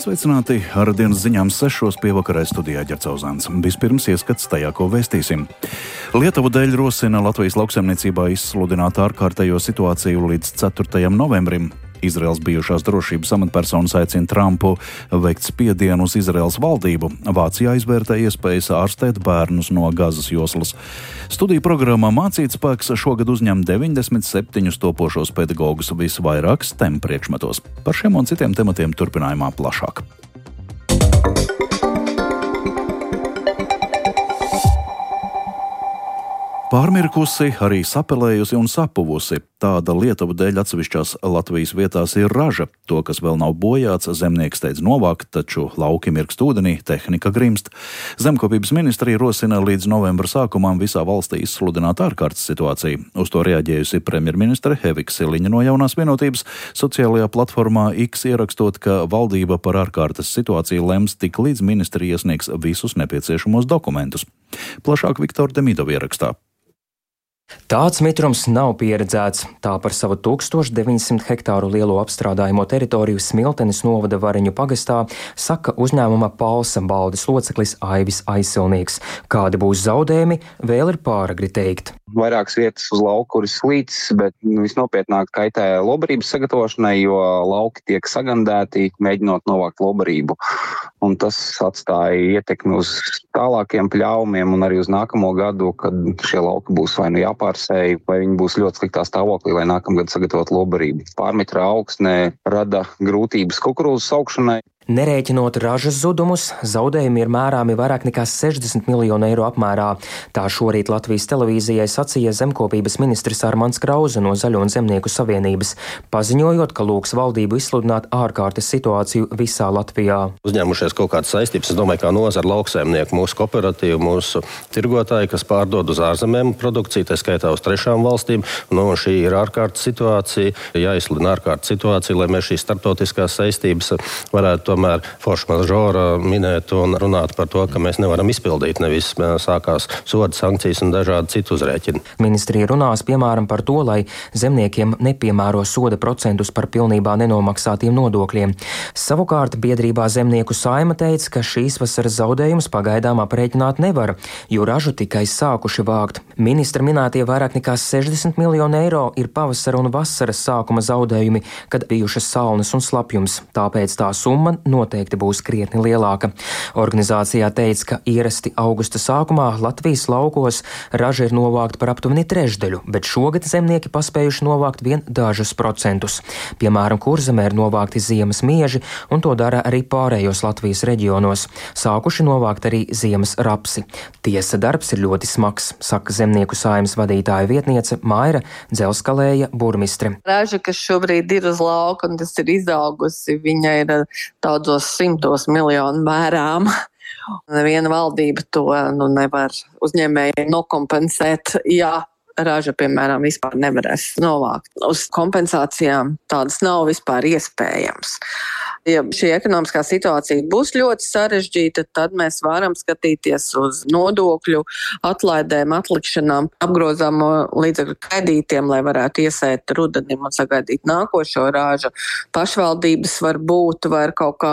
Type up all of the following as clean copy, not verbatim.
Sveicināti ar dienas ziņām 6 pievakarē studijā Ģercauzāns. Vispirms ieskats tajā, ko vēstīsim. Lietuvu dēļ rosina Latvijas lauksaimniecībā izsludināt ārkārtējo situāciju līdz 4. novembrim. Izraels bijušās drošības amatpersonas aicina Trumpu veikt spiedienu uz Izraels valdību. Vācijā izvērtē iespējas ārstēt bērnus no Gazas joslas. Studiju programmā Mācīt spēks šogad uzņem 97 topošos pedagogus visvairāk STEM priekšmetos. Par šiem un citiem tematiem turpinājumā plašāk. Pārmirkusi, arī sapelējusi un sapuvusi. Tāda Lietuvu dēļ atsevišķās Latvijas vietās ir raža. To, kas vēl nav bojāts, zemnieks steidz novākt, taču lauki mirkst ūdenī, tehnika grimst. Zemkopības ministrija rosina līdz novembra sākumam visā valstī izsludināt ārkārtas situāciju. Uz to reaģējusi premjerministre Evika Siliņa no Jaunās vienotības, sociālajā platformā X ierakstot, ka valdība par ārkārtas situāciju lems tik līdz ministrija iesniegs visus nepieciešamos dokumentus. Plašāk Viktora Demidova ierakstā. Tāds mitrums nav pieredzēts. Tā par savu 1900 hektāru lielo apstrādājumu teritoriju Smiltenes novada Variņu pagastā saka uzņēmuma Palsa baldes loceklis Aivis Aizsilnieks. Kādi būs zaudējumi, vēl ir pāragri teikt. Vairākas vietas uz lauku, kur ir slīts, bet visnopietnāk kaitē lobarības sagatavošanai, jo lauki tiek sagandēti, mēģinot novākt lobarību. Un tas atstāja ietekmi uz tālākiem pļaumiem un arī uz nākamo gadu, kad šie lauki būs vai nu jāpārsēj, vai viņi būs ļoti sliktā stāvoklī, lai nākamgad sagatavot lobarību. Pārmetra augsne rada grūtības kukurūzas augšanai. Nerēķinot ražas zudumus, zaudējumi ir mērāmi vairāk nekā 60 miljonu eiro apmērā. Tā šorīt Latvijas televīzijai sacīja zemkopības ministrs Armands Krauze no Zaļo un Zemnieku savienības, paziņojot, ka lūgs valdību izsludināt ārkārtas situāciju visā Latvijā. Uzņēmušies kaut kādas saistības, es domāju, kā nozara lauksaimnieku, mūsu kooperatīvu, mūsu tirgotāji, kas pārdod uz ārzemēm produkciju, tā skaitā uz trešām valstīm. Šī ir ārkārtas situācija, jāizsludina ārkārtas situācija, lai mēs šīs starptautiskās saistības varētu tomēr forša mažora minēt un runāt par to, ka mēs nevaram izpildīt, nevis sākās soda sankcijas un dažādi citu uzrēķini. Ministrija runās piemēram par to, lai zemniekiem nepiemēro soda procentus par pilnībā nenomaksātiem nodokļiem. Savukārt biedrībā Zemnieku saima teica, ka šīs vasaras zaudējumus pagaidām aprēķināt nevar, jo ražu tikai sākuši vākt. Ministra minētie vairāk nekā 60 miljonu eiro ir pavasara un vasaras sākuma zaudējumi, kad bijušas salnas un slapjums, tāpēc tā summa noteikti būs krietni lielāka. Organizācijā teica, ka ierasti augusta sākumā Latvijas laukos raža ir novākta par aptuveni trešdaļu, bet šogad zemnieki paspējuši novākt vien dažus procentus. Piemēram, Kurzemē ir novākti ziemas mieži, un to dara arī pārējos Latvijas reģionos. Sākuši novākt arī ziemas rapsi. Tiesa darbs ir ļoti smags, saka Zemnieku saimnes vadītāja vietniece Maira Dzelskalēja burmistre. Raža, kas šobrīd ir uz lauka un tas ir izaugusi, viņa ir daudzos 100 miljonu mērām. Neviena valdība to nevar uzņēmēji nokompensēt, ja raža, piemēram, vispār nevarēs novākt. Uz kompensācijām tādas nav vispār iespējams. Ja šī ekonomiskā situācija būs ļoti sarežģīta, tad mēs varam skatīties uz nodokļu atlaidēm, atlikšanām, apgrozāmo līdzekļu kredītiem, lai varētu iesēt rudenim un sagaidīt nākošo ražu. Pašvaldības var kaut kā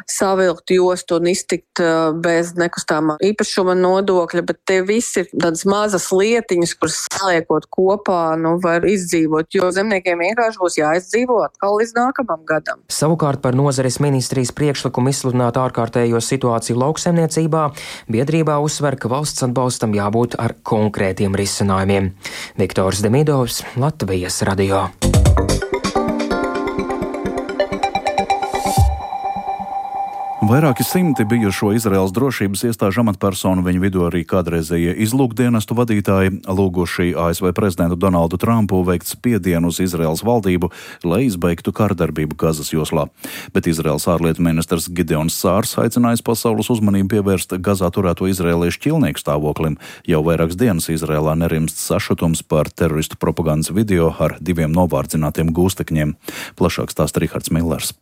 savilkt jostu un iztikt bez nekustāmā īpašuma nodokļa, bet tie visi ir tādas mazas lietiņas, kuras saliekot kopā, var izdzīvot, jo zemniekiem vienkārši būs jāizdzīvo atkal līdz nākamam gadam. Savukārt par nozares ministrijas priekšlikumu izsludināt ārkārtējo situāciju lauksaimniecībā, biedrībā uzsver, ka valsts atbalstam jābūt ar konkrētiem risinājumiem. Viktors Demidovs, Latvijas radio. Vairāki simti bijušo Izraels drošības iestāžu amatpersonu, viņu vidū arī kādreizējie izlūkdienestu vadītāji, lūguši ASV prezidentu Donaldu Trumpu veikt spiedienu uz Izraels valdību, lai izbeigtu kārdarbību Gazas joslā. Bet Izraels ārlietu ministrs Gideons Sārs aicinājis pasaules uzmanību pievērst Gazā turēto izraēliešu ķilnieku stāvoklim. Jau vairākas dienas Izraēlā nerimst sašutums par teroristu propagandas video ar 2 novārdzinātiem gūstekņiem. Plašāk stāsta Rihards Millers.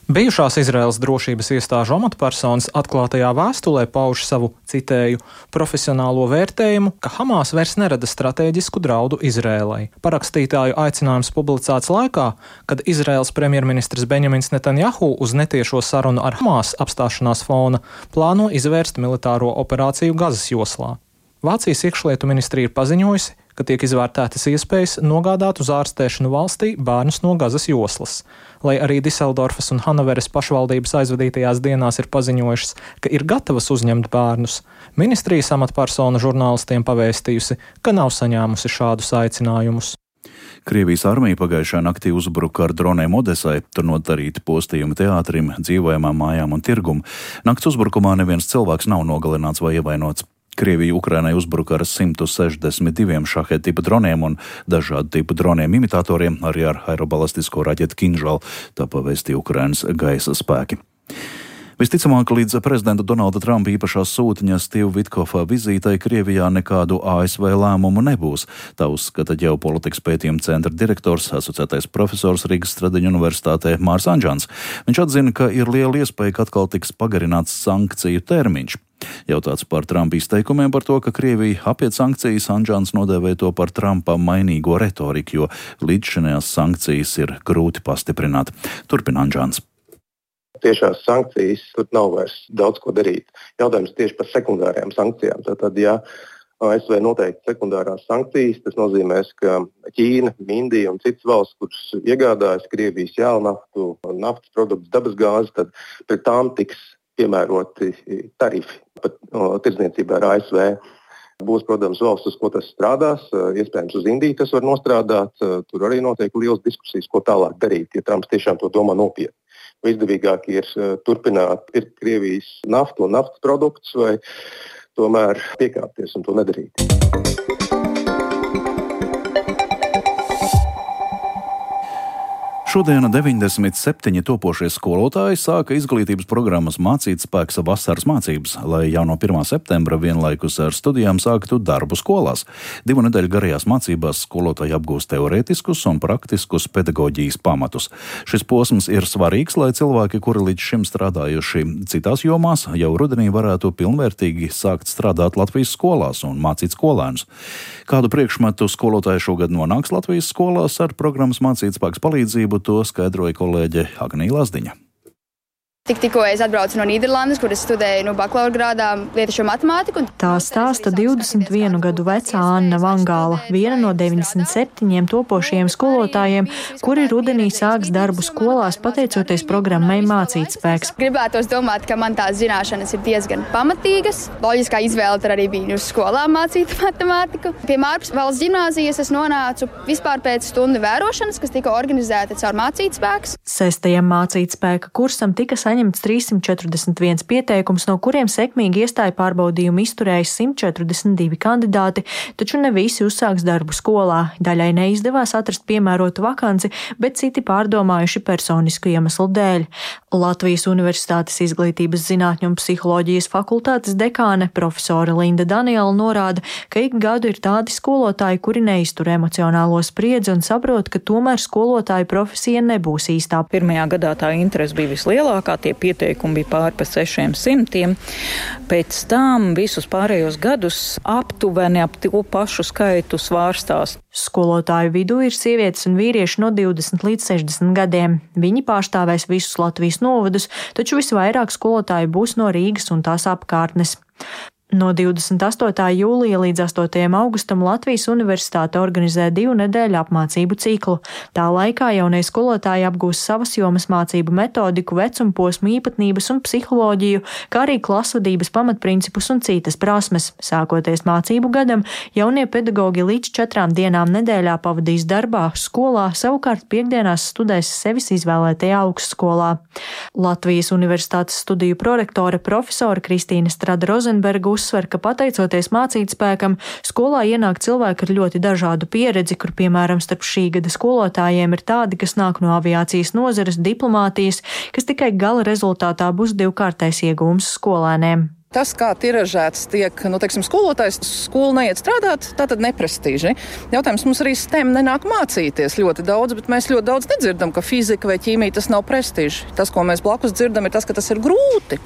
Bijušās Izraēlas drošības iestāžu amatpersonas atklātajā vēstulē pauž savu, citēju, profesionālo vērtējumu, ka Hamas vairs nerada stratēģisku draudu Izraēlai. Parakstītāju aicinājums publicēts laikā, kad Izraēlas premjerministrs Benjamins Netanjahu uz netiešo sarunu ar Hamas apstāšanās fona plāno izvērst militāro operāciju Gazas joslā. Vācijas iekšlietu ministrija ir paziņojusi, ka tiek izvērtētas iespējas nogādāt uz ārstēšanu valstī bērnus no Gazas joslas. Lai arī Diseldorfas un Hanoveras pašvaldības aizvadītajās dienās ir paziņojušas, ka ir gatavas uzņemt bērnus, ministrijas amatpersona žurnālistiem pavēstījusi, ka nav saņēmusi šādus aicinājumus. Krievijas armija pagājušā naktī uzbruka ar droniem Odesai, tur nodarīti postījumi teātrim, dzīvojamām mājām un tirgumu. Nakts uzbrukumā neviens cilvēks nav nogalināts vai ievainots. Krievija Ukrainai uzbruka ar 162 šaheta tipa droniem un dažādu tipu droniem imitatoriem, arī ar aerobalistisko raķetu Kinžal, tā pavēstīja Ukrainas gaisa spēki. Visticamāk, līdz prezidenta Donalda Trumpa īpašā sūtņa Steve Witkofa vizītei Krievijā nekādu ASV lēmumu nebūs. Tā uzskata ģeopolitikas pētījuma centra direktors, asociētais profesors Rīgas Stradiņu universitātē Mārs Anžans. Viņš atzina, ka ir liela iespēja, ka atkal tiks pagarināts sankciju termiņš. Jautāts par Trumpa izteikumiem par to, ka Krievija apiet sankcijas, Anžans nodēvēja to par Trumpa mainīgo retoriku, jo līdzšinējās sankcijas ir grūti pastiprināt. Turpina Anžans. Tiešās sankcijas, tur nav vairs daudz ko darīt. Jautājums tieši par sekundārajām sankcijām. Tātad, ja ASV noteikti sekundārās sankcijas, tas nozīmēs, ka Ķīna, Indija un citas valsts, kuras iegādājas Krievijas jēlnaftu, naftas produktus, dabasgāzi, tad pret tām tiks piemēroti tarifi pat tirdzniecībā ar ASV. Būs, protams, valsts, uz ko tas strādās. Iespējams, uz Indiju tas var nostrādāt. Tur arī notiek liels diskusijas, ko tālāk darīt, ja Trumps tiešām to domā nopietni. Izdevīgāk ir turpināt pirkt Krievijas naftu un naftas produktus vai tomēr piekāpties un to nedarīt. Šodien 97 topošie skolotāji sāka izglītības programmas Mācītspēks vasaras mācības, lai jau no 1. septembra vienlaikus ar studijām sāktu darbu skolās. 2 nedēļu garajās mācībās skolotāji apgūst teorētiskus un praktiskus pedagoģijas pamatus. Šis posms ir svarīgs, lai cilvēki, kuri līdz šim strādājuši citās jomās, jau rudenī varētu pilnvērtīgi sākt strādāt Latvijas skolās un mācīt skolēnus. Kādu priekšmetu skolotāji šogad nonāks Latvijas skolās ar programmas Mācītspēks palīdzību, to skaidroja kolēģe Agnija Lazdiņa. Tikko es atbraucu no Nīderlandes, kur es studēju bakalaura grādā lietušu matemātiku. Tā stāsta 21 gadu vecā Anna Vangāla, viena no 97 topošajiem skolotājiem, kuri rudenī sāks darbu skolās pateicoties programmai Mācītspēks. Gribētos domāt, ka man tās zināšanas ir diezgan pamatīgas. Loģiskā izvēle tur arī bija uz skolām mācīt matemātiku. Pie Mārpas valsts ģimnāzijas es nonācu vispār pēc stundu vērošanas, kas tika organizēta caur Mācītspēks. 6. Mācītspēka kursam tika saņemts 341 pieteikums, no kuriem sekmīgi iestāju pārbaudījumu izturēja 142 kandidāti, taču ne visi uzsāks darbu skolā. Daļai neizdevās atrast piemērotu vakanci, bet citi pārdomājuši personisku iemeslu dēļ. Latvijas Universitātes izglītības zinātņu un psiholoģijas fakultātes dekāne profesore Linda Daniela norāda, ka ik gadu ir tādi skolotāji, kuri neiztur emocionālo spriedzi un saprot, ka tomēr skolotāja profesija nebūs īstā. Pirmajā gadā tā interese bija vislielākā, tie pieteikumi bija pāri pa 600. Pēc tam visus pārējos gadus aptuveni ap to pašu skaitu svārstās. Skolotāju vidū ir sievietes un vīrieši no 20 līdz 60 gadiem. Viņi pārstāvēs visus Latvijas novadus, taču visvairāk skolotāju būs no Rīgas un tās apkārtnes. No 28. jūlija līdz 8. augustam Latvijas Universitāte organizē 2 nedēļu apmācību ciklu. Tā laikā jaunie skolotāji apgūs savas jomas mācību metodiku, vecumposmu īpatnības un psiholoģiju, kā arī klasvadības pamatprincipus un citas prasmes. Sākoties mācību gadam, jaunie pedagogi līdz 4 dienām nedēļā pavadīs darbā, skolā, savukārt piekdienās studēs sevis izvēlētajā augstskolā. Latvijas Universitātes studiju prorektore profesora Kristīne Strada-Rozenberga uzsver, ka pateicoties Mācītspēkam, skolā ienāk cilvēki ar ļoti dažādu pieredzi, kur, piemēram, starp šī gada skolotājiem ir tādi, kas nāk no aviācijas nozares, diplomātijas, kas tikai gala rezultātā būs 2-kārtais iegūms skolēniem. Tas, kā tiražēts tiek, skolotājs skolu neiet strādāt, tā tad neprestīži. Jautājums mums arī STEM nenāk mācīties ļoti daudz, bet mēs ļoti daudz nedzirdam, ka fizika vai ķīmija tas nav prestiži. Tas, ko mēs blakus dzirdam, ir tas, ka tas ir grūti.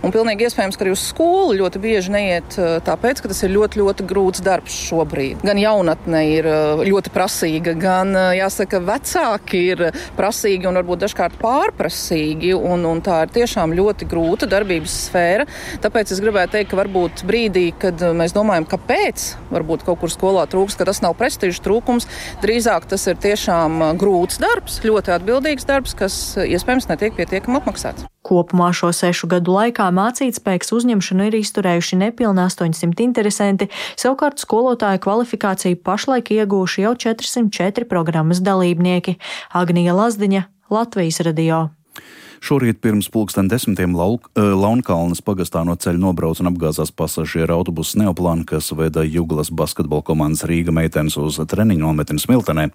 Un pilnīgi iespējams, ka arī uz skolu ļoti bieži neiet tāpēc, ka tas ir ļoti, ļoti grūts darbs šobrīd. Gan jaunatne ir ļoti prasīga, gan, jāsaka, vecāki ir prasīgi un varbūt dažkārt pārprasīgi, un tā ir tiešām ļoti grūta darbības sfēra. Tāpēc es gribētu teikt, ka varbūt brīdī, kad mēs domājam, kāpēc varbūt kaut kur skolā trūks, ka tas nav prestižs trūkums, drīzāk tas ir tiešām grūts darbs, ļoti atbildīgs darbs, kas iespējams netiek pietiekami apmaksāts. Kopumā šo 6 gadu laikā mācītspējas uzņemšanu ir izturējuši nepilni 800 interesanti, savukārt skolotāju kvalifikāciju pašlaik iegūši jau 404 programmas dalībnieki. Agnija Lazdiņa, Latvijas radio. Šorīt pirms 10:00 Launkalnes pagastā no ceļa nobrauc un apgāzās pasažieru autobuss Neoplan, kas veda Juglas basketbola komandas Rīga meitenes uz treniņu nometni Smiltenē.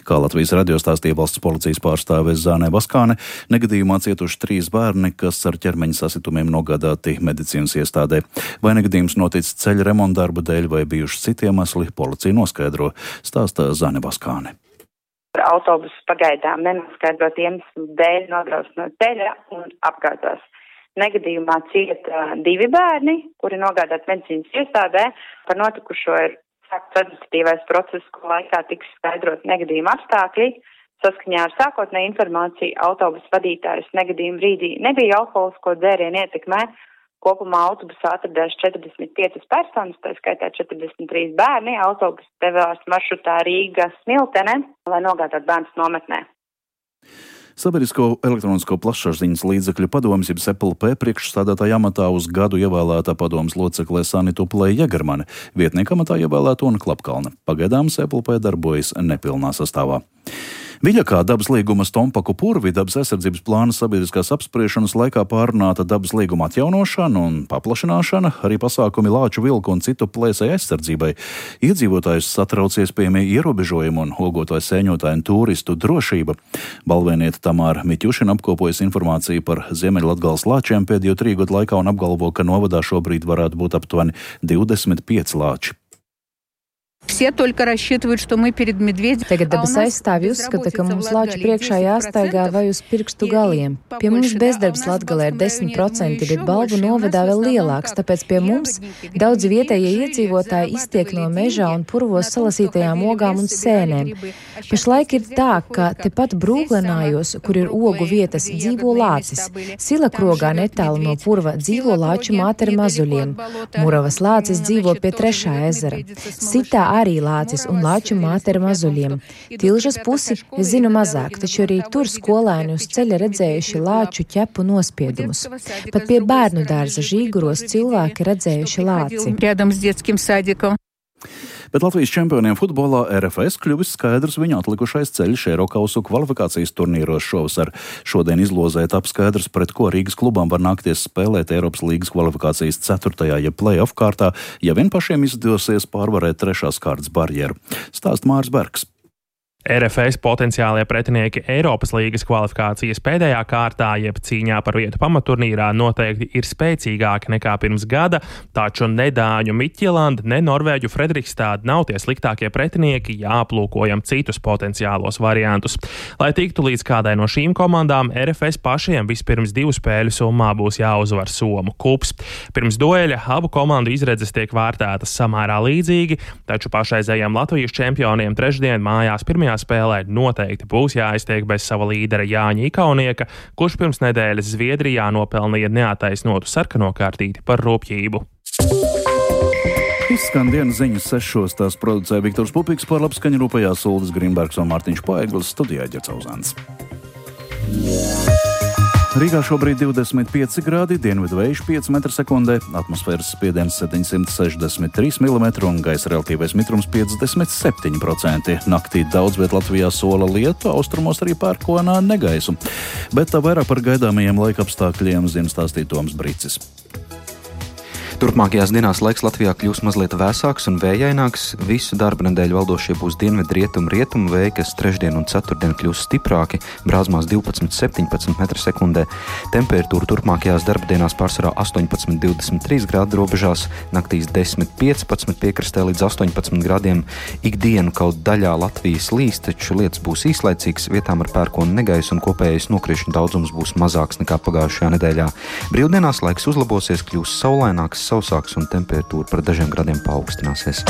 Kā Latvijas radio stāstīja valsts policijas pārstāve Zāne Vaskāne, negadījumā cietuši 3 bērni, kas ar ķermeņa sasitumiem nogādāti medicīnas iestādē. Vai negadījums noticis ceļa remonta darba dēļ vai bijuši citi iemesli, policija noskaidro, stāsta Zāne Vaskāne. Autobus pagaidām nenoskaidrot iemeslu dēļ nobrauc no ceļa un apgāzās. Negadījumā cieta 2 bērni, kuri nogādāti medicīnas iestādē. Par notikušo ir sākts administratīvais process, ko laikā tiks skaidrot negadījuma apstākļi. Saskaņā ar sākotnēju informāciju autobusu vadītājs negadījuma brīdī nebija alkoholisko dzērienu ietekmē. Kopumā autobusā atradās 45 personas, tā skaitā 43 bērni. Autobus devās maršrutā Rīga-Smiltene, lai nogādātu bērnus nometnē. Sabiedrisko elektronisko plašsaziņas līdzekļu padomes, jeb SEPLP priekšstādātāja amatā uz gadu ievēlētā padomes loceklē Sanitu Plēja-Jegermane, vietnieka amatā ievēlēta Ona Klapkalne. Pagaidām SEPLP darbojas nepilnā sastāvā. Viļakā dabas līguma Stompaku purvi dabas aizsardzības plāna sabiedriskās apspriešanas laikā pārunāta dabas līguma atjaunošana un paplašināšana, arī pasākumi lāču, vilku un citu plēsēju aizsardzībai. Iedzīvotājus satrauc iespējamie ierobežojumi un ogotāju sēņotāju un turistu drošība. Balvēniete Tamāra Miķušina apkopojas informāciju par Ziemeļlatgales lāčiem pēdējo 3 gadu laikā un apgalvo, ka novadā šobrīd varētu būt aptuveni 25 lāči. Tagad dabas aizstāvji uzskata, ka mums lāču priekšā jāstaigā vai uz pirkstu galiem. Pie mums bezdarbs Latgalē ir 10%, bet Balvu novadā vēl lielāks, tāpēc pie mums daudzi vietējie iedzīvotāji iztiek no mežā un purvos salasītajām ogām un sēnēm. Pašlaik ir tā, ka tepat Brūglenājos, kur ir ogu vietas, dzīvo lācis. Silakrogā netālu no purva dzīvo lāču māte ar mazuļiem. Muravas lācis dzīvo pie 3. ezera. Sitā arī lācis un lāču māte ar mazuļiem. Tilžas pusi es zinu mazāk, taču arī tur skolēni uz ceļa redzējuši lāču ķepu nospiedumus. Pat pie bērnu dārza Žīguros cilvēki redzējuši lāci. Bet Latvijas čempioniem futbolā RFS kļuvis skaidrs viņu atlikušais ceļš Eirokausu kvalifikācijas turnīros šovasar. Šodien izlozē tap skaidrs, pret ko Rīgas klubām var nākties spēlēt Eiropas līgas kvalifikācijas 4. jeb play-off kārtā, ja vien pašiem izdosies pārvarēt 3. kārtas barjeru. Stāst Māris Bergs. RFS potenciālie pretinieki Eiropas līgas kvalifikācijas pēdējā kārtā, jeb cīņā par vietu pamaturnīrā noteikti ir spēcīgāki nekā pirms gada, taču ne Dāņu Midtjylland, ne Norvēģu Fredrikstad nav tie sliktākie pretinieki, ja aplūkojam citus potenciālos variantus. Lai tiktu līdz kādai no šīm komandām, RFS pašiem vispirms 2 spēļu summā būs jāuzvar Somu Kups. Pirms dueļa abu komandu izredzes tiek vērtētas samērā līdzīgi, taču pašreizējiem Latvijas čempioniem trešdien mājās pirmajā spēlē noteikti būs jāiztiek bez sava līdera Jāņa Ikaunieka, kurš pirms nedēļas Zviedrijā nopelnīja neataisnotu sarkano kārtīti par rupjību. Izskan dienas ziņas 6. Tās producē Viktors Pupiks, par labskaņu rūpējās Uldis Grinbergs un Mārtiņš Paeglis, studijā Ģerts Auzāns. Rīgā šobrīd 25 grādi, dienvidu vējš 5 m/sekundē, atmosfēras spiediens 763 mm un gaisa relatīvais mitrums 57%. Naktī daudz viet Latvijā sola lietu, austrumos arī pērkonā negaisu. Bet tā vairāk par gaidāmajiem laikapstākļiem zina stāstīt Toms Bricis. Turpmākajās dienās laiks Latvijā kļūs mazliet vēsāks un vējaināks. Visu darba nedēļu valdošie būs dienvidu-rietumu vēji, kas trešdien un ceturtdien kļūs stiprāki, brāzmās 12–17 m/sekundē. Temperatūra turpmākajās darba dienās pārsvarā 18–23 grādu robežās, naktīs 10–15 piekrastē līdz 18 grādiem. Ikdienu kaut daļā Latvijas līs, taču lietas būs īslaicīgas, vietām ar pērkonu negaisu un kopējais nokrišņu daudzums būs mazāks nekā pagājušajā nedēļā. Brīvdienās laiks uzlabosies, kļūs saulaināks, sausāks un temperatūra par dažiem grādiem paaugstināsies.